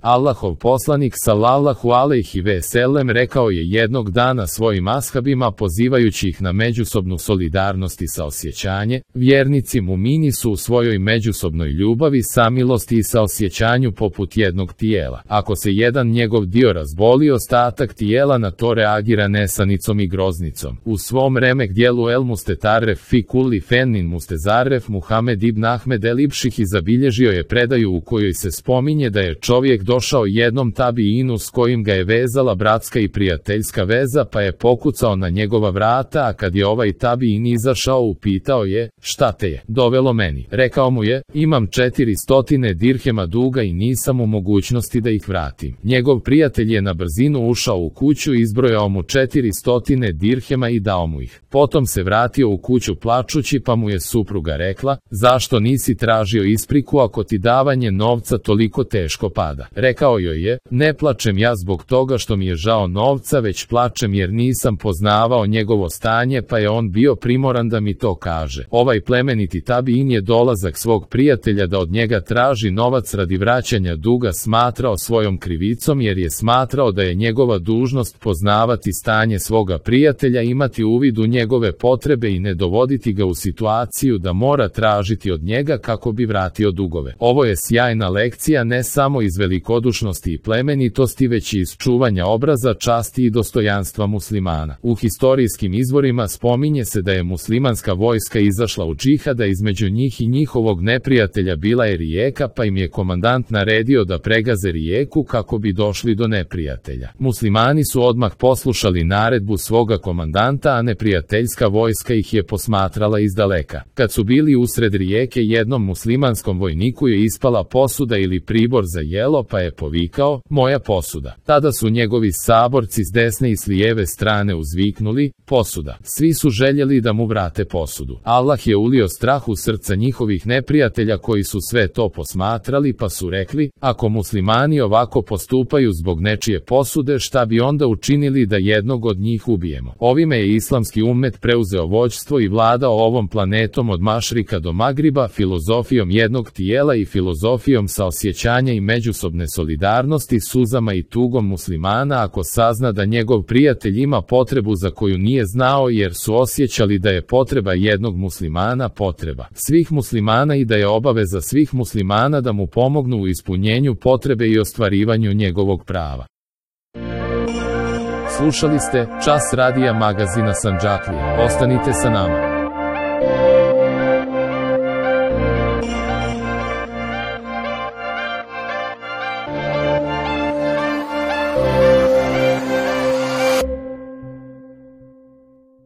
Allahov poslanik sallallahu alejhi ve sellem rekao je jednog dana svojim ashabima pozivajući ih na međusobnu solidarnost i saosjećanje: vjernici mumini su u svojoj međusobnoj ljubavi, samilosti i saosjećanju poput jednog tijela. Ako se jedan njegov dio razboli, ostatak tijela na to reagira nesanicom i groznicom. U svom remek dijelu El Mustetarref fi kulli fennin Mustezarref Muhamed ibn Ahmed el Ibših zabilježio je predaju u kojoj se spominje da je čovjek došao jednom tabiinu s kojim ga je vezala bratska i prijateljska veza, pa je pokucao na njegova vrata, a kad je ovaj tabiin izašao, upitao je: šta te je dovelo meni? Rekao mu je: imam 400 dirhema duga i nisam u mogućnosti da ih vratim. Njegov prijatelj je na brzinu ušao u kuću, izbrojao mu 400 dirhema i dao mu ih. Potom se vratio u kuću plačući, pa mu je supruga rekla: zašto nisi tražio ispriku ako ti davanje novca toliko teško pada? Rekao joj je: ne plačem ja zbog toga što mi je žao novca, već plačem jer nisam poznavao njegovo stanje, pa je on bio primoran da mi to kaže. Ovaj plemeniti tabiin je dolazak svog prijatelja da od njega traži novac radi vraćanja duga smatrao svojom krivicom, jer je smatrao da je njegova dužnost poznavati stanje svoga prijatelja, imati uvid u njegove potrebe i ne dovoditi ga u situaciju da mora tražiti od njega kako bi vratio dugove. Ovo je sjajna lekcija ne samo iz velikodušnosti i plemenitosti, već i iz čuvanja obraza, časti i dostojanstva muslimana. U historijskim izvorima spominje se da je muslimanska vojska izašla u džihad, a između njih i njihovog neprijatelja bila je rijeka, pa im je komandant naredio da pregaze rijeku kako bi došli do neprijatelja. Muslimani su odmah poslušali naredbu svoga komandanta, a neprijateljska vojska ih je posmatrala izdaleka. Kad su bili usred rijeke, jednom muslimanskom vojniku je ispala posuda ili pribor za jelo, pa je povikao: moja posuda. Tada su njegovi saborci s desne i s lijeve strane uzviknuli: posuda. Svi su željeli da mu vrate posudu. Allah je ulio strah u srca njihovih neprijatelja koji su sve to posmatrali, pa su rekli: ako muslimani ovako postupaju zbog nečije posude, šta bi onda učinili da jednog od njih ubijemo? Ovime je islamski ummet preuzeo vođstvo i vladao ovom planetom od Mašrika do Magriba, filozofijom jednog tijela i filozofijom saosjećanja i međusobne solidarnosti, suzama i tugom muslimana ako sazna da njegov prijatelj ima potrebu za koju nije znao, jer su osjećali da je potreba jednog muslimana potreba svih muslimana i da je obaveza svih muslimana da mu pomognu u ispunjenju potrebe i ostvarivanju njegovog prava. Slušali ste Čas radija magazina Sandžaklija. Ostanite sa nama.